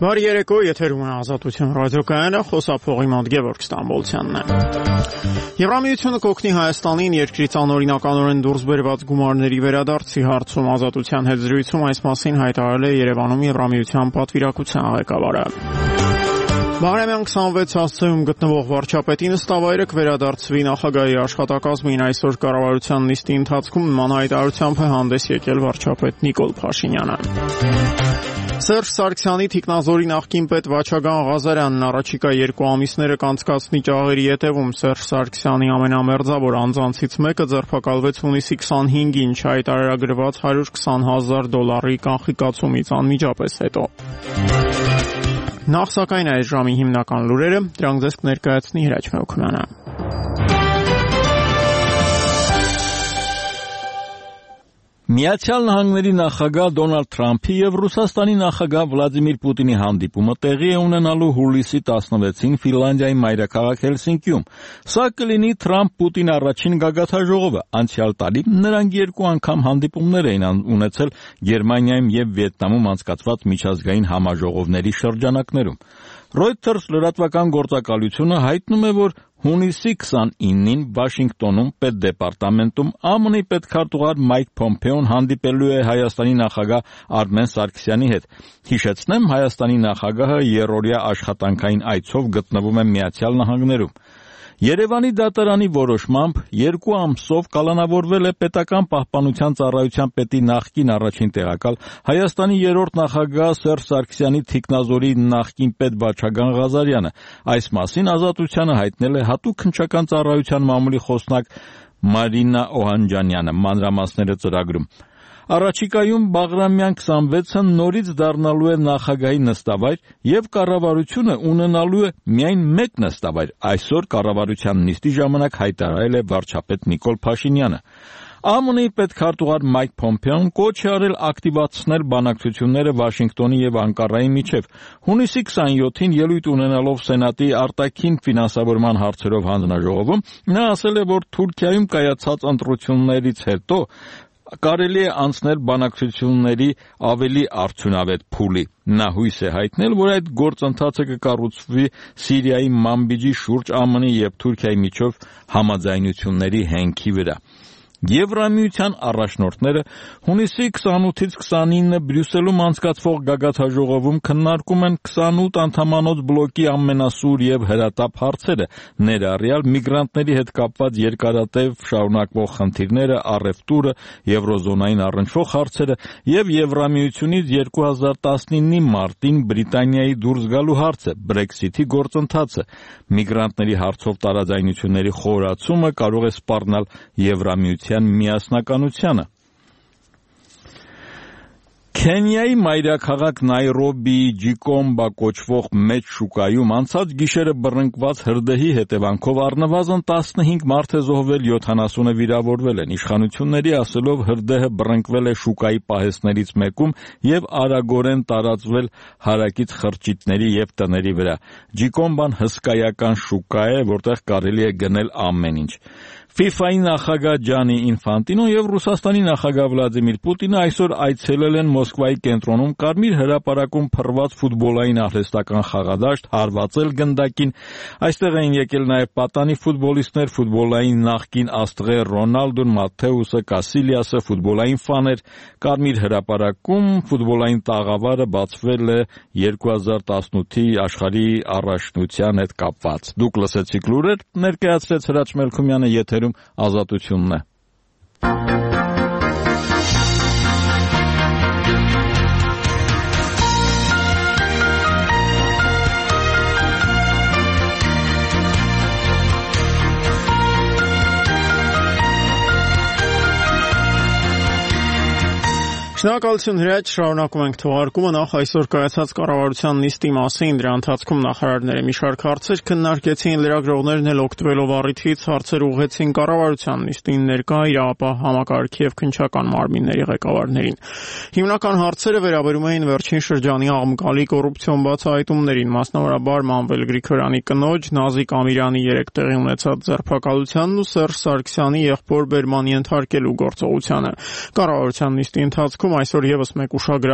Բարի երեկո, եթերում է Ազատություն ռադիոկայանը, խոսափողի մոտ Գևորգ Ստամբոլցյանն է։ Եվրամիությունը կօգնի Հայաստանին երկրից անօրինականորեն դուրս բերված գումարների վերադարձի հարցում Ազատության հետ զրույցում այս մասին հայտարարել է Երևանում Եվրամիության պատվիրակության ղեկավարը։ Բաղրամյան 26 հասցեում գտնվող վարչապետի նստավայրը կվերադարձվի նախագահի աշխատակազմին այսօր կառավարության նիստի ընթացքում նման հայտարարությամբ է հանդես եկել վարչապետ Նիկոլ Փաշինյանը։ Սերժ Սարգսյանի թիկնազորի նախկին պետ Վաչագան Ղազարյանն առաջիկա 2 ամիսները կանցկացնի ճաղերի ետևում Սերժ Սարգսյանի ամենամերձավոր անձանցից մեկը ձերբակալվեց հունիսի 25-ին հայտարարագրված $120,000 կանխիկացումից անմիջապես հետո։ Նախ սակայն այս ժամի հիմնական լուրերը, դրանք ձեզ կներկայացնի Հրաչ Մեհոքմյանը։ Միացյալ Նահանգների նախագահ Դոնալդ Թրամփի եւ Ռուսաստանի նախագահ Վլադիմիր Պուտինի հանդիպումը տեղի է ունենալու հուլիսի 16-ին Ֆինլանդիայի մայրաքաղաք Հելսինկիում։ Սա կլինի Թրամփ-Պուտին առաջին գագաթաժողովը։ Անցյալ տարի նրանք 2 անգամ հանդիպումներ էին ունեցել Գերմանիայում եւ Վիետնամում անցկացված միջազգային համաժողովների շրջանակներում։ Reuters լրատվական գործակալությունը հայտնում է, որ հունիսի 29-ին Վաշինգտոնում պետդեպարտամենտում ԱՄՆ-ի պետքարտուղար Մայք Փոմփեոն հանդիպելու է Հայաստանի նախագահ Արմեն Սարգսյանի հետ։ Հիշեցնեմ, Հայաստանի նախագահը երրորդյա աշխատանքային այցով գտնվում է Միացյալ Նահանգներում։ Երևանի դատարանի որոշմամբ 2 ամսով կալանավորվել է պետական պահպանության ծառայության պետի նախկին առաջին տեղակալ Հայաստանի երրորդ նախագահ Սերժ Սարգսյանի թիկնազորի նախկին պետ Վաչագան Ղազարյանը։ Այս մասին Ազատությանը հայտնել է հատուկ քննչական ծառայության մամուլի խոսնակ Մարինա Օհանջանյանը, մանրամասները ծրագրում։ Առաջիկայում Բաղրամյան 26-ը նորից դառնալու է նախագահի նստավայր եւ կառավարությունը ունենալու է միայն 1 նստավայր։ Այսօր կառավարության նիստի ժամանակ հայտարարել է վարչապետ Նիկոլ Փաշինյանը։ ԱՄՆ-ի պետքարտուղար Մայք Փոմփեոն կոչ է արել ակտիվացնել բանակցությունները Վաշինգտոնի եւ Անկարայի միջև։ Հունիսի 27-ին ելույթ ունենալով Սենատի արտաքին ֆինանսավորման հարցերով հանձնաժողովում նա ասել է, որ Թուրքիայում կայացած ընտրություններից հետո կարելի է անցնել բանակցությունների ավելի արդյունավետ փուլի։ Նա հույս է հայտնել, որ այդ գործընթացը կկառուցվի Սիրիայի Մանբիջի շուրջ ԱՄՆ-ի եւ Թուրքիայի միջև համաձայնությունների հենքի վրա։ Եվրամիության առաջնորդները հունիսի 28-ից 29-ը Բրյուսելում անցկացվող գագաթաժողովում քննարկում են 28 անդամանոց բլոկի ամենասուր եւ հրատապ հարցերը, ներառյալ միգրանտների հետ կապված երկարատև շարունակվող խնդիրները, առևտուրը, եվրոզոնային առնչվող հարցերը եւ Եվրամիությունից 2019-ի մարտին Բրիտանիայի դուրս գալու հարցը, Brexit-ի գործընթացը։ Միգրանտների հարցով տարաձայնությունների խորացումը կարող է սպառնալ Եվրամիության միասնականությանը։ Քենիայի մայրաքաղաք Նայրոբիի Ջիկոմբա կոչվող մեծ շուկայում անցած գիշերը բռնկված հրդեհի հետևանքով առնվազն 15 մարդ է զոհվել, 70-ը վիրավորվել են։ Իշխանությունների ասելով հրդեհը բռնկվել է շուկայի պահեստներից մեկում եւ արագորեն տարածվել հարակից խրճիթների եւ տների վրա։ Ջիկոմբան հսկայական շուկա է, որտեղ կարելի է գնել ամեն ինչ։ FIFA-ի նախագահ Ջանի Ինֆանտինոն եւ Ռուսաստանի նախագահ Վլադիմիր Պուտինը այսօր այցելել են Մոսկվայի կենտրոնում Կարմիր հրապարակում փռված ֆուտբոլային արհեստական խաղադաշտ, հարվածել գնդակին։ Այստեղ էին եկել նաեւ պատանի ֆուտբոլիստներ, ֆուտբոլային նախկին աստղեր Ռոնալդոն, Մաթեուսը, Կասիլիասը, ֆուտբոլային ֆաներ։ Կարմիր հրապարակում ֆուտբոլային տաղավարը բացվել է 2018-ի աշխարհի առաջնության հետ կապված։ Դուք լսեցիք լուրեր, ներկայացրեց Հրաչ Մեհոքմյանը, եթերում Ազատությունն է։ Շնորհակալություն Հրաչ, շարունակում ենք թողարկումը։ Նախ այսօր կայացած կառավարության նիստի մասին, դրա ընթացքում նախարարները մի շարք հարցեր քննարկեցին, լրագրողներն էլ օգտվելով առիթից հարցեր ուղղեցին կառավարության նիստին ներկա իրավապահ համակարգի եւ քննչական մարմինների ղեկավարներին։ Հիմնական հարցերը վերաբերում էին վերջին շրջանի աղմկալի կոռուպցիոն բացահայտումներին, մասնավորաբար Մանվել Գրիգորյանի կնոջ Նազիկ Ամիրյանի 3 տեղի ունեցած ձերբակալությանն ու Սերժ Սարգսյանի եղբոր Բերմանի ենթարկելու գործողությանը։ Կառավարության նիստի ընթացքում այսօր եւս մեկ ուշագրավ